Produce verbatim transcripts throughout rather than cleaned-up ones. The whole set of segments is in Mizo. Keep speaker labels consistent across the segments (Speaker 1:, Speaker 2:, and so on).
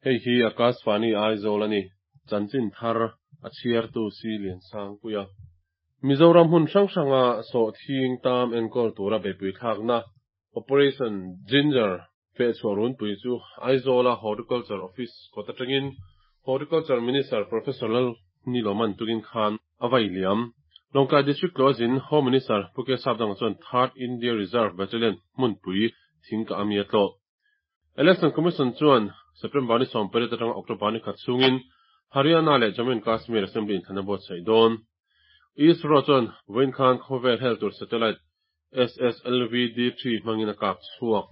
Speaker 1: Hei hi Akashvani Aizawl a ni. Chanchin thar a chhiartu si lian sang puia. Mizoram hun hrang hranga sawhthing tam enkawl tura beihpui thlakna Operation Ginger fehchhuah runpui chu Aizawla Horticulture Office kawt atangin Horticulture Minister Professor Lalnilawman tukin khan a vai liam. Lawngtlai District tlawhzin Home Minister Pu K Sapdanga chuan Third India Reserve Battalion hmunpui thing ka ami a tlawh. Election Commission chuan September ni sawm pariat atanga October ni khat chungin Haryana leh Jammu and Kashmir Assembly inthlana buatsaih dawn. ISRO chuan vawiin khan khawvel hel tur satellite S S L V D three hmangin a kap chhuak.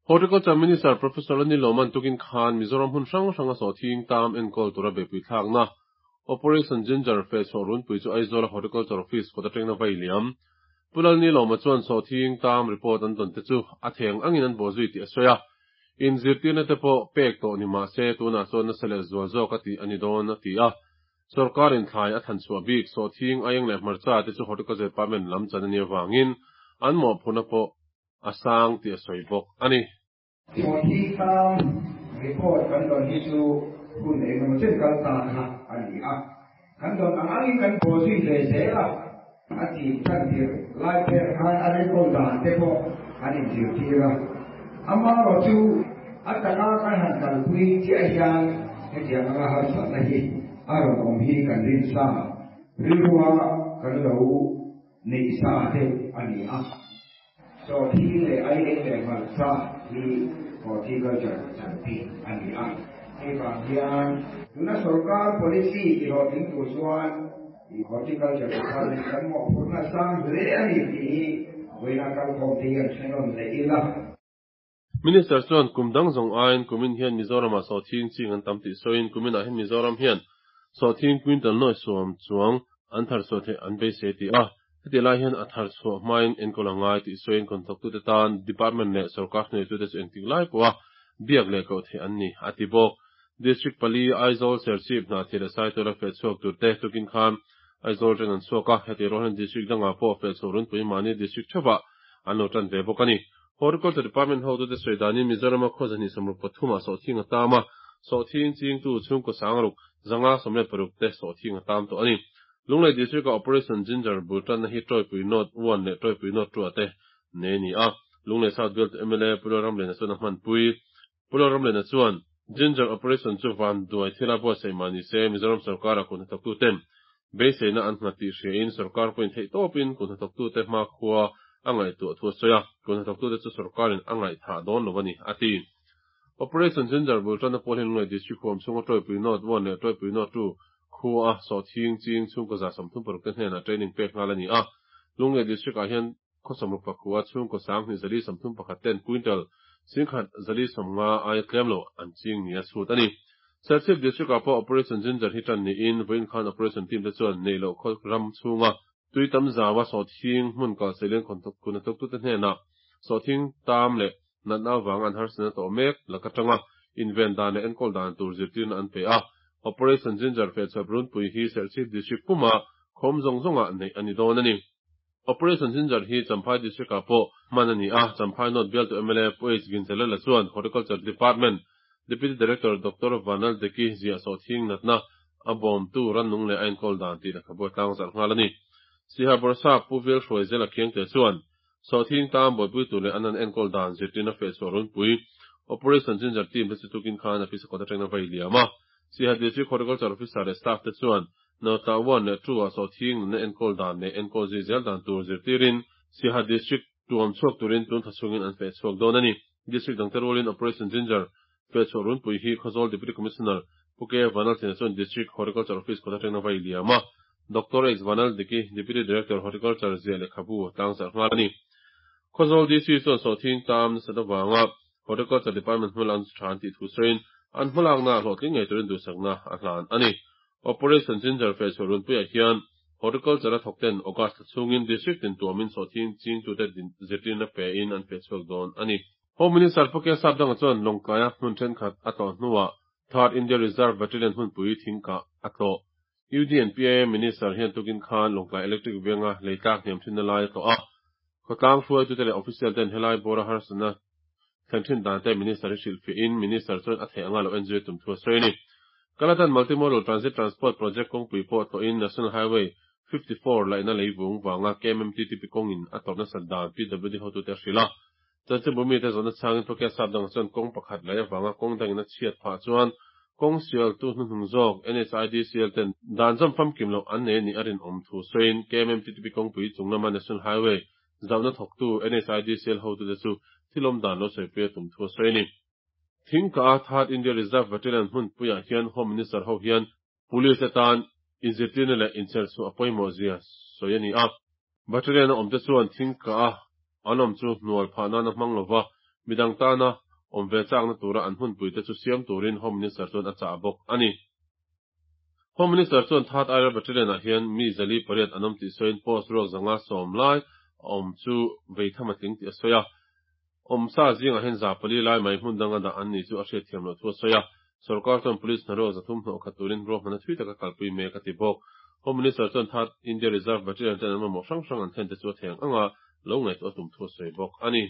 Speaker 1: Horticulture Minister Professor Lalnilawman tukin khan Mizoram hun hrang hranga sawhthing tam enkawl tura beihpui thlakna Operation Ginger fehchhuah runpui chu Aizawla Horticulture Office kawt atangin a vai liam. Pu Lalnilawma chuan sawhthing tam report an dawn te chu a theng angin an bawhzui tih a sawi a. Inzirtirna te pawh pek tawh ni mah se tunah chuan nasa leh zual zawk a tih a ni dawn a ti a. Sorkarin thlai a thanchhuah bik sawhthing aieng leh hmarcha te chu Horticulture Department lam chan a nih avangin an mawhphurhna pawh a sang tih a sawi bawk a ni.
Speaker 2: Sawhthing tam report kan dawn hi chu hun engemaw chen kal ta kha a ni a. Kan dawn ang angin kan bawhzui ve zel a. A chin tan tir lai ber khan a enkawl dan te pawh an inzirtir a. Amaherawh chu a taka kan han kalpui chiah hian hetiang anga harsatna hi a rawn awm hi kan rin sa rilrua kan lo neih sa deuh a ni a. Sawhthing leh aieng leh hmarcha hi horticulture chan bik a ni a. Hei vang hian tuna sorkar policy tihlawhtling tur chuan horticulture department kan mawhphurhna sang hle a ni tih hi vawiina kalkhawm te hian hrenawn leh ila.
Speaker 1: Minister chuan kum dang zawng aiin kumin hian Mizoramah sawhthing ching an tam tih sawiin kuminah hian Mizoram hian sawhthing quintal nuai sawm chuang an thar chhuah theih an beisei ti a. Heti lai hian a thar chhuah hmain enkawl a ngai tih sawiin contractor te tan department leh sorkar hnuaitute chu engtik lai pawha biak leh koh theih an ni a ti bawk. District pali Aizawl Serchhip Hnahthial leh Saitual a fehchhuak tur te tukin khan Aizawl atangin an chhuak a. Heti rual hian district dangah pawh fehchhuah runpui mahni district theuhah an lo tan ve bawk a ni. Horticulture Department hotute sawi danin Mizorama khaw zahnih sawmruk pathumah sawhthing a tam a. Sawhthing chingtu chhungkaw sangruk zanga sawmriat paruk te sawhthing a tam tawh a ni. Lunglei District a Operation Ginger bul tanna hi Tawipui North one leh Tawipui North two te nei ni a. Lunglei South Bialtu M L A Pu Lalramliana chuan a hmanpui. Pu Lalramliana chuan Ginger Operation chu van duai thila buatsaih mah ni se Mizoram sarkara kun hnathawktu ten beiseina an nghat tih hriain sarkar pawhin theih tawpin kun hnathawktu te hma khua a ngaihtuah thu a sawi a. Kun hnathawktu te chu sarkarin a ngaihthah dawn lo a ni a ti. Operation Ginger bul tanna pawh hian Lunglei District huam chhunga Tawipui North one leh Tawipui North two khu a sawhthing ching chhungkaw za sawmthum paruk te hnenah training pek nghal a ni a. Lunglei District ah hian khaw sawmruk pakhua chhungkaw sanghnih zali sawmthum pakhat ten quintal singkhat zali sawmnga aia tlem lo an ching ni a chhut a ni. Serchhip District ah pawh Operation Ginger hi tan niin vawiin khan Operation team te chuan nei loh khaw ram chhunga tui tam zawa sawhthing hmun kal seilen kun hnathawktu te hnenah sawhthing tam leh natna awang an harsatna tawh mek laka tanga inven dan leh enkawl dan tur zirtirna an pe a. Operation Ginger fehchhuah runpui hi Serchhip District puma khawm zawng zawngah neih a ni dawn a ni. Operation Ginger hi Champhai District ah pawh hman a ni a. Champhai North Bialtu M L A Pu H Ginzalala chuan Horticulture Department Deputy Director Doctor Vanal Deki ziah sawhthing natna a bawmtu rannung leh a enkawl dan tih lehkhabu a tlang zarh nghal a ni. Siha Bawrhsap Pu Vel Hruai Zel a khiang te chuan sawhthing tam buaipui tur leh an an enkawl dan zirtirna fehchhuah runpui Operation Ginger team te chu tukin khan a pisa kawt atangin a vai liam a. Siha District Horticulture Officer leh staff te chuan Notla one leh two ah sawhthing natna enkawl dan leh enkawl zui zel dan tur zirtirin Siha District tuam chhuak turin tun thachungin an fehchhuak dawn a ni. District dang te rualin Operation Ginger fehchhuah runpui hi Khawzawl Deputy Commissioner Pu K Vanal Thina chuan District Horticulture Office kawt atangin a vai liam a. Doctor X Vanal Diki Deputy Director Horticulture ziah lehkhabu tlang zarh nghal a ni. Khawzawl D C chuan sawhthing tam nasat awanga Horticulture Department hmul an than tih thu sawiin an hmalakna hlawhtling ngei turin duhsakna a hlan a ni. Operation Ginger fehchhuah runpuiah hian Horticulture a thawk ten August chhungin District tin tuamin sawhthing chingtute zirtirna pe in an fehchhuak dawn a ni. Home Minister Pu K Sapdanga chuan Lawngtlaia hmun thenkhat a tlawh hnuah Third India Reserve Battalion hmunpui thingkah a tlawh. U D and P A Minister hian tukin khan Lawngtlai Electric Venga leitlak hniam thinna lai a tlawh a. Khawtlang hruaitute leh official ten helai bawra harsatna thlen thin dan te Minister hi hrilhfiahin Minister chuan a theih anga lo en zui tum thu a sawi a ni. Kaladan Multimodal Transit Transport Project kawngpui pawh tlawhin National Highway fifty four laihna leivung vanga KMMTTP kawngin a tawrh nasat dan PWD hotute a hrilh a. Chanchinbu mite zawhna changin Phuket sap dangah chuan kawng pakhat laih avanga kawng dangin a chhiat phah chuan kawng sialtu hnuhnung zawk NHIDCL ten dan zawm famkim loh an nei a nih a rinawm thu sawiin KMMTTP kawngpui chung lama National Highway zauhna thawktu NHIDCL hotute chu thil awm dan lo sawipui a tum thu a sawi a ni. Thingka-a Third India Reserve Battalion hmunpuiah hian Home Minister ho hian Police atan inzirtirna leh inchherchhuah a pawimawh zia sawi a ni a. Battalion a awmte chuan Thingka-a an awm chu hnual phah nana hmang lova midang tana awm ve chakna tura an hmunpuite chu siam turin Home Minister chuan a chah bawk a ni. Home Minister chuan Third IR Battalion-ah hian mi zali pariat an awm tih sawiin post ruak zanga sawm lai a awm chu veitham a tling tih a sawi a. Awmsa zingah hian za pali lai mai hmun danga dah an nih chu a hriatthiam loh thu a sawi a. Sorkar chuan Police hnaruak zathum hnawh khat turin ruahman a thui taka kalpui mek a ti bawk. Home Minister chuan Third India Reserve Battalion ten an mamawh hrang hrang an thlen te chu a theng anga lo ngaihtuah a tum thu a sawi bawk a ni.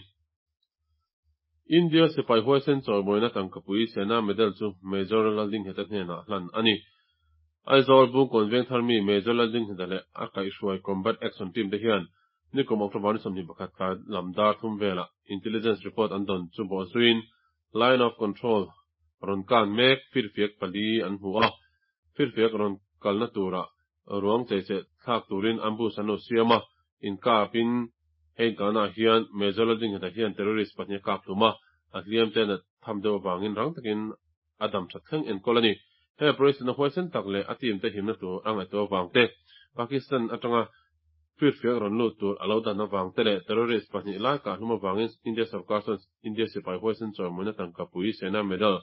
Speaker 1: India sipai huaisen chawimawina tangkapui Sena Medal chu Major Laldingheta hnenah hlan a ni. Aizawl Bungkawn Vengthar mi Major Laldingheta leh a kaihhruai Combat Action Team te hian nikum October ni sawmhnih pakhat tlai lam dar thum velah Intelligence report an dawn chu bawh zuiin Line of Control rawn kan mek firfiak pali an hmu a, firfiak rawn kalna turah ruang cheicheh thlak turin ambush an lo siam a, inkapin hei inkahnaah hian Major Laldingheta hian terrorist pahnih a kap hlum a, a hliam te nat tham deuh avangin rang takin a dam that thleng enkawl a ni. He operation a huaisen tak leh a team te himna tur a ngaihtuah avang te, Pakistan atanga firfiak rawn lut tur a lo dan avang te leh terrorist pahnih lai kah hlum avangin India sorkar chuan India sipai huaisen chawimawina tangkapui Sena Medal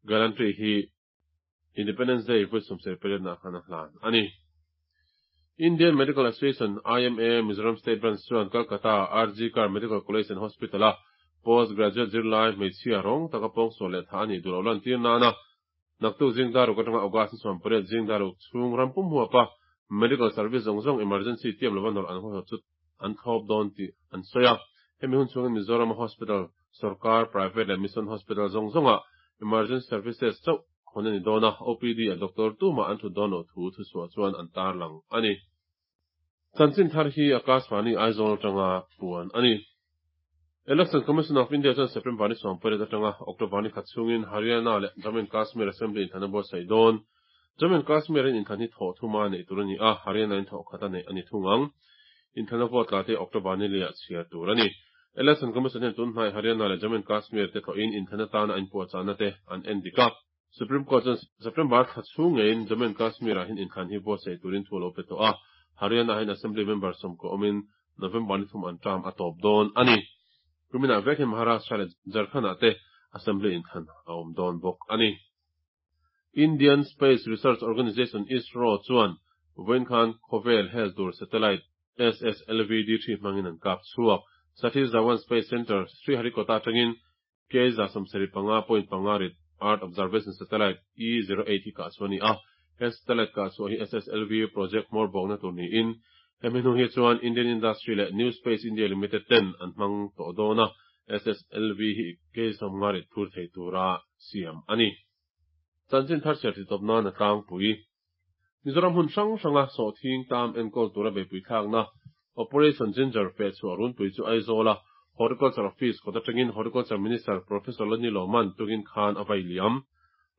Speaker 1: Gallantry hi Independence Day vawi sawmsarih pariat nah khan a hlan a ni. Indian Medical Association, IMA, Mizoram State Branch chuan Calcutta RG Kar Medical College and Hospital-a Post Graduate zirlai hmeichhia rawng taka pawngsual leh thah a nih duh loh lantir nana naktuk zing daruk atanga August ni sawm pariat zing daruk chhung ram pum huapa Medical Service zawng zawng emergency tiam lova nawrh an huaihawt chu an thlawp dawn tih an sawi a. Hemi hun chhungin Mizoram-a Hospital, Sorkar, Private leh Mission Hospital zawng zawngah Emergency Services chauh hawn a ni dawn a, OPD a doctor tumah an thut dawn loh thu thuchhuah chuan an tarlang a ni. Chanchin thar hi Akashvani Aizawl atanga puan a ni. Election Commission of India chuan September ni sawm pariat atanga October ni khat chhungin Haryana leh Jammu and Kashmir Assembly inthlan a buatsaih dawn. Jammu and Kashmir in inthlan hi thawh thuma neih tur a ni a, Haryana in thawh khat a neih a ni thung ang. Inthlan a vote la te October ni liah chhiar tur a ni. Election Commission hian tun hnai Haryana leh Jammu and Kashmir te tlawhin inthlan atana a inpuahchahna te an en dik a. Supreme Court chuan September thla chhung ngeiin Jammu and Kashmir ah hian inthlan hi buatsaih turin thu a lo pe tawh a, Haryana hian Assembly member sawmkaw awmin November ni thum an term a tawp dawn a ni. Kuminah vek hian Maharashtra leh Jharkhand ah te Assembly inthlan a awm dawn bawk a ni. Indian Space Research Organisation, ISRO, chuan vawiin khan khawvel hel tur satellite SSLV D three hmangin an kap chhuak. Satish Dhawan Space Centre, Sriharikota atangin K za sawmsarih panga point panga rit Earth Observation Satellite E zero eight hi kah chhuah a ni a. He satellite kah chhuah hi SSLV project hmawr bawkna tur niin hemi hnu hi chuan Indian Industry leh New Space India Limited ten an hmang tawh dawn a, SSLV hi K sawmnga rit phur thei tura siam a ni. Chanchin thar chhiar titawp nan a tlangpui. Mizoram hmun hrang hranga sawhthing tam enkawl tura beipui thlakna Operation Ginger feh chhuah runpui chu Aizawla Horticulture Office kawt atangin Horticulture Minister Professor Lani Lawman tukin khan a vai liam.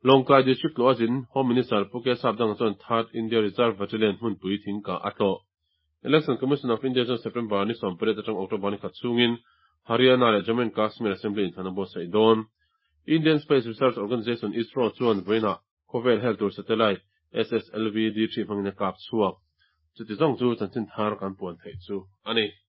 Speaker 1: Lawngtlai District tlawh azin Home Minister Pu Kesap Danga chuan Third India Reserve Battalion hmunpui thingkah a tlawh. Election Commission of India chuan September ni sawm pariat atang October ni khat chhungin Haryana leh Jammu and Kashmir Assembly inthlan a buatsaih dawn. Indian Space Research Organisation, ISRO, chuan vawiinah khawvel hel tur satellite SSLV D three hmangin a kap chhuak. Chuti zawng chu chanchin thar kan puan theih chu a ni.